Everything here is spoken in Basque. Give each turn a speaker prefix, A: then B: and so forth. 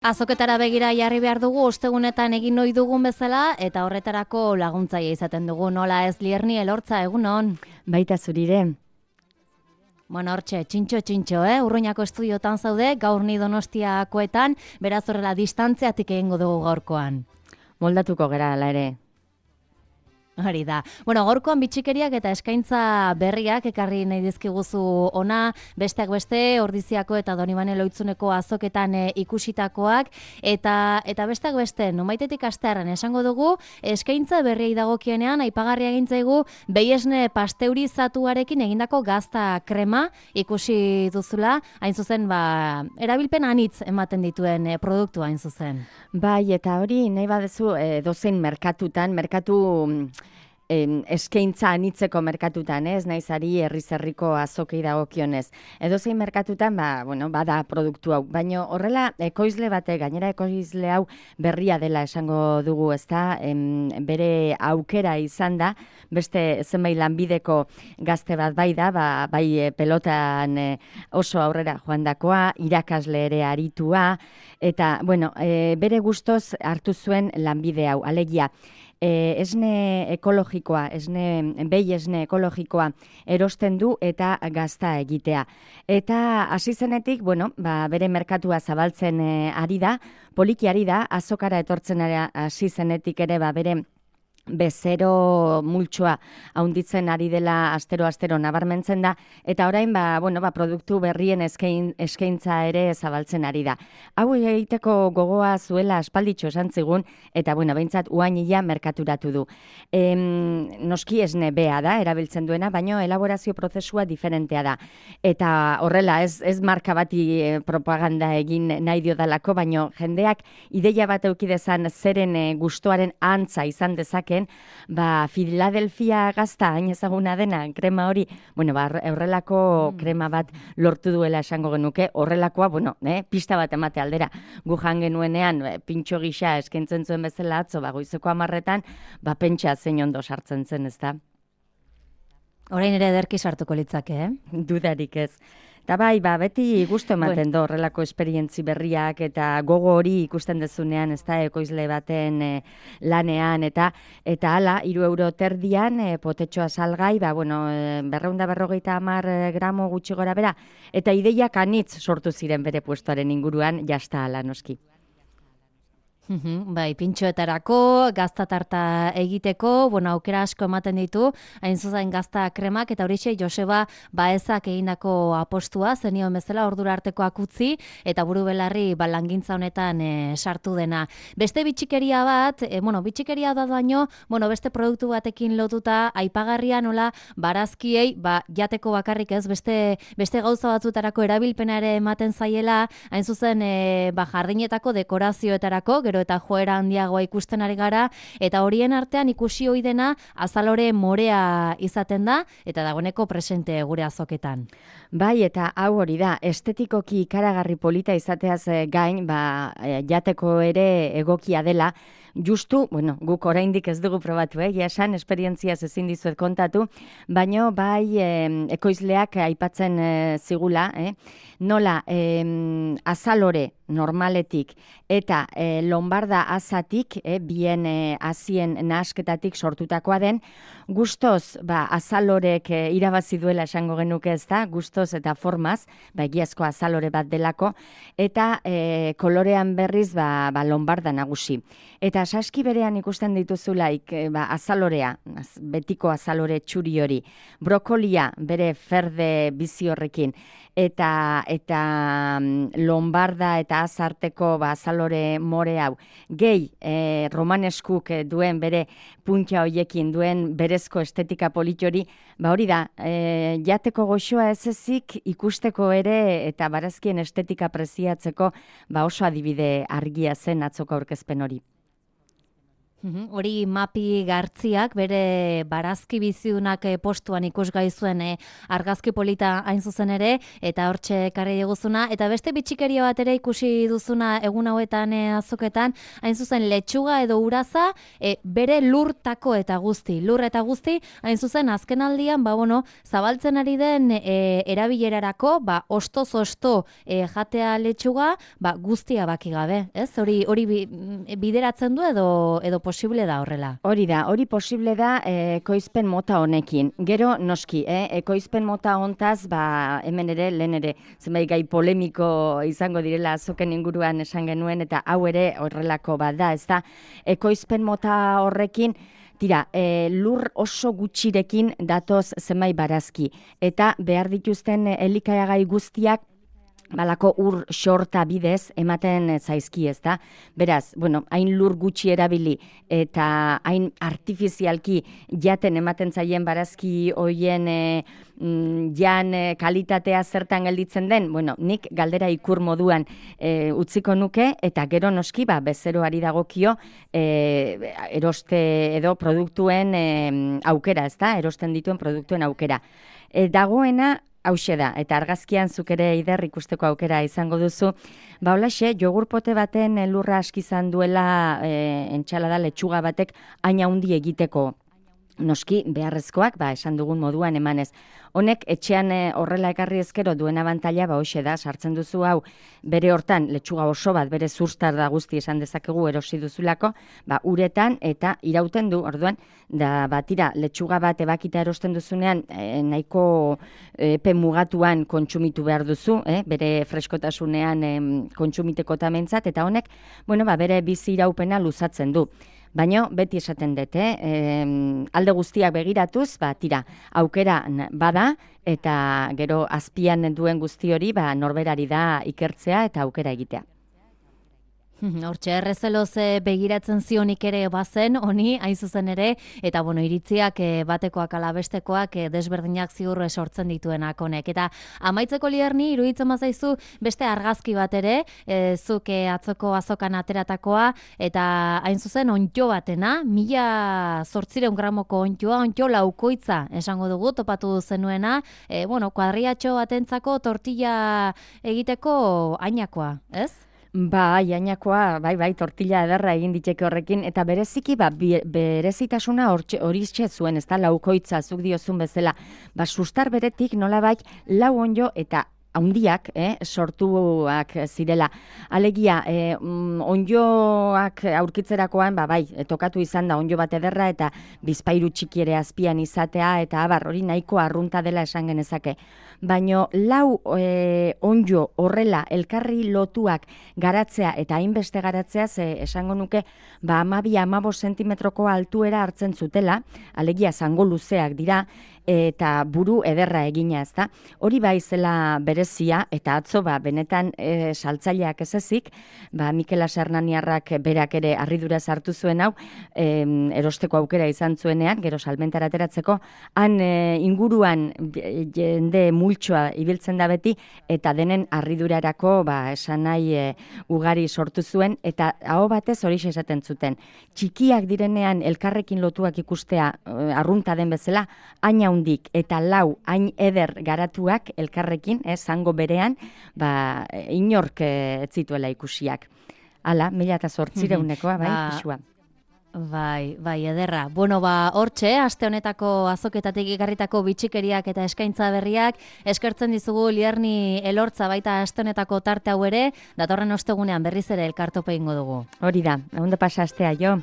A: Azoketara begira jarri behar dugu, ostegunetan egin ohi dugun bezala, eta horretarako laguntzaile izaten dugu, nola ez Lierni Elortza, egunon?
B: Baita zurire.
A: Bueno, hortxe, txintxo, Urruñako estudiotan zaude, gaur ni Donostiakoetan, beraz horrela distantziatik egingo dugu gaurkoan.
B: Moldatuko gera ala ere.
A: Hori da. Bueno, gaurkoan bitxikeriak eta eskaintza berriak ekarri nahi dizkiguzu ona, besteak beste, Ordiziako eta Donibane Lohitzuneko azoketan ikusitakoak, eta besteak beste, nonbaitetik hastearren esango dugu, eskaintza berriei dagokienean, aipagarria egintzaigu, behiesne pasteurizatuarekin egindako gazta krema ikusi duzula, hain zuzen, erabilpen anitz ematen dituen produktua hain zuzen.
B: Bai, eta hori nahi badezu dozein merkatu eskaintza anitzeko merkatutan, ez naizari herri-zerriko azokei dagokionez. Edozein merkatutan, bada produktu hau. Baina horrela, ekoizle batek, gainera ekoizle hau berria dela esango dugu, ezta? Bere aukera izan da, beste zenbait lanbideko gazte bat bai da, bai pelotan oso aurrera joandakoa, irakasle ere aritua, eta, bere gustoz hartu zuen lanbide hau, alegia. Esne ekologikoa, behi esne ekologikoa erosten du eta gazta egitea. Eta hasi zenetik, bere merkatua zabaltzen ari da, poliki ari da, azokara etortzen hasi zenetik ere bere bezero multsoa haunditzen ari dela astero nabarmentzen da, eta orain produktu berrien eskaintza ere zabaltzen ari da. Hau egiteko gogoa zuela aspalditxo esan zigun, eta behintzat uainila merkaturatu du. Noski esne bea da, erabiltzen duena, baina elaborazio prozesua diferentea da. Eta horrela, ez marka bati propaganda egin nahi diodalako, baina jendeak ideia bat eukidezan zeren gustoaren antza izan dezaken, Filadelfia gazta hain ezaguna dena krema hori, horrelako krema bat lortu duela esango genuke, horrelakoa, pista bat emate aldera. Gu jan genuenean, pintxo gisa eskaintzen zuen bezala atzo, goizeko 10:00, pentsa zein ondo sartzen zen, ezta?
A: Orain ere ederki sartuko litzake,
B: Dudarik ez. Eta beti gustu ematen do horrelako esperientzi berriak eta gogo hori ikusten dezunean, ez da, ekoizle baten lanean, eta hala, 3 € potetxoa salgai, 250 gramo gutxi gora bera, eta ideiak anitz sortu ziren bere puestoaren inguruan, jasta hala noski.
A: Pintxoetarako, gazta tarta egiteko, aukera asko ematen ditu, hain zuzen gazta kremak, eta horixe Joseba Baezak egindako apostua, zenio bezala ordura artekoak utzi, eta buru belarri langintza honetan sartu dena. Beste bitxikeria bat, bitxikeria da baino, beste produktu batekin lotuta, aipagarria nola, barazkiei, jateko bakarrik ez, beste gauza batzutarako erabilpena ere ematen zaiela, hain zuzen jardinetako dekorazioetarako, gero eta joera handiagoa ikusten ari gara, eta horien artean ikusi ohi dena azalore morea izaten da, eta dagoeneko presente gure azoketan.
B: Bai, eta hau hori da, estetikoki ikaragarri polita izateaz gain, jateko ere egokia dela, justu, guk oraindik ez dugu probatu, esan esperientziaz ezin dizuet kontatu, baino ekoizleak aipatzen zigula, nola azalore normaletik eta lombarda azatik, bien azien nahasketatik sortutakoa den, gustoz azalorek irabazi duela esango genuke, ez da, gustoz eta formaz, egiazko azalore bat delako, eta kolorean berriz lombarda nagusi. Eta saski berean ikusten dituzulaik azalorea, betiko azalore txuri hori, brokolia bere ferde bizi horrekin, eta lombarda eta azarteko azalore more hau. Gehi, romaneskuk duen bere puntia hoiekin duen berezko estetika politori, hori da, jateko goxoa ez ezik ikusteko ere eta barazkien estetika preziatzeko oso adibide argia zen atzoko aurkezpen hori.
A: Hori Mapi Gartziak bere barazki bizidunak postuan ikusgai zuen argazki polita hain zuzen ere, eta hortxe ekarri diguzuna, eta beste bitxikeria bat ere ikusi duzuna egun hauetan azoketan, hain zuzen letxuga edo uraza, bere lur eta guzti, hain zuzen azken aldian, zabaltzen ari den erabilerarako, ostoz osto jatea letxuga, guztia baki gabe, ez? Hori bideratzen du edo posible da horrela?
B: Hori posible da ekoizpen mota honekin. Gero noski, ekoizpen mota hontaz, hemen ere, lehen ere, zenbait gai polemiko izango direla azoken inguruan esan genuen, eta hau ere horrelako da, ez da, ekoizpen mota horrekin, tira, lur oso gutxirekin datoz zenbait barazki, eta behar dituzten elikagai guztiak balako ur xorta bidez ematen zaizki, ez da? Beraz, hain lur gutxi erabili eta hain artifizialki jaten ematen zaien barazki hoien jan kalitatea zertan gelditzen den, nik galdera ikur moduan utziko nuke, eta gero noski, bezeroari dagokio eroste edo produktuen aukera, ez da? Erosten dituen produktuen aukera. Dagoena, hauxe da, eta argazkian zuk ere Eider ikusteko aukera izango duzu. Holaxe, jogurpote baten lurra askizan duela entxalada letxuga batek hain handi egiteko. Noski, beharrezkoak, esan dugun moduan emanez. Honek, etxean horrela ekarri ezkero duen abantaila, hoxe da, sartzen duzu hau, bere hortan, letxuga oso bat, bere zuztar da guzti esan dezakegu erosi duzulako, uretan eta irauten du, orduan, tira, letxuga bat ebakita erosten duzunean, nahiko epe mugatuan kontsumitu behar duzu, bere freskotasunean kontsumiteko tamentzat, eta honek, bere bizi iraupena luzatzen du. Baina beti esaten dut, alde guztiak begiratuz, tira, aukera bada, eta gero azpian duen guzti hori norberari da ikertzea eta aukera egitea.
A: Hortxe, errezeloz begiratzen zionik ere bazen, honi, hain zuzen ere, eta iritziak batekoak ala bestekoak desberdinak ziur sortzen dituenak honek. Eta amaitzeko Lierni, iruditzen bazaizu beste argazki bat ere, zuk atzoko azokan ateratakoa, eta hain zuzen ontxo batena, 1800 gramoko ontxo laukoitza esango dugu, topatu zenuena, kuadriatxo batentzako tortilla egiteko ainakoa, ez?
B: Jainakoa, tortilla ederra egin diteke horrekin, eta bereziki, berezitasuna hori zuen, ez da, laukoitza, zuk diozun bezala, sustar beretik nolabait lau onjo eta haundiak sortuak zirela. Alegia, onjoak aurkitzerakoan, tokatu izan da onjo bat ederra eta bizpairu txiki ere azpian izatea, eta hori nahiko arrunta dela esan genezake. Baina lau onjo horrela elkarri lotuak garatzea eta hainbeste garatzea, esango nuke 12-15 sentimetroko altuera hartzen zutela, alegia zango luzeak dira, eta buru ederra egina, ez da. Hori zela berezia, eta atzo benetan saltzaileak ez ezik, Mikel Asernaniarrak berak ere harridura sartu zuen hau, erosteko aukera izan zuenean, gero salmentara ateratzeko, han inguruan jende multsoa ibiltzen da beti, eta denen harridurarako esan nahi ugari sortu zuen, eta aho batez hori esaten zuten. Txikiak direnean elkarrekin lotuak ikustea arrunta den bezala, hain haundik eta lau hain eder garatuak elkarrekin, zango berean, inork ez zituela ikusiak. Hala, 1800-ekoa, pisua.
A: Ederra. Hortxe, aste honetako azoketatik ekarritako bitxikeriak eta eskaintza berriak, eskertzen dizugu Lierni Elortza baita aste honetako tarte hau ere, datorren ostegunean berriz ere elkartope ingo dugu.
B: Hori da, ondo pasa astea, jo.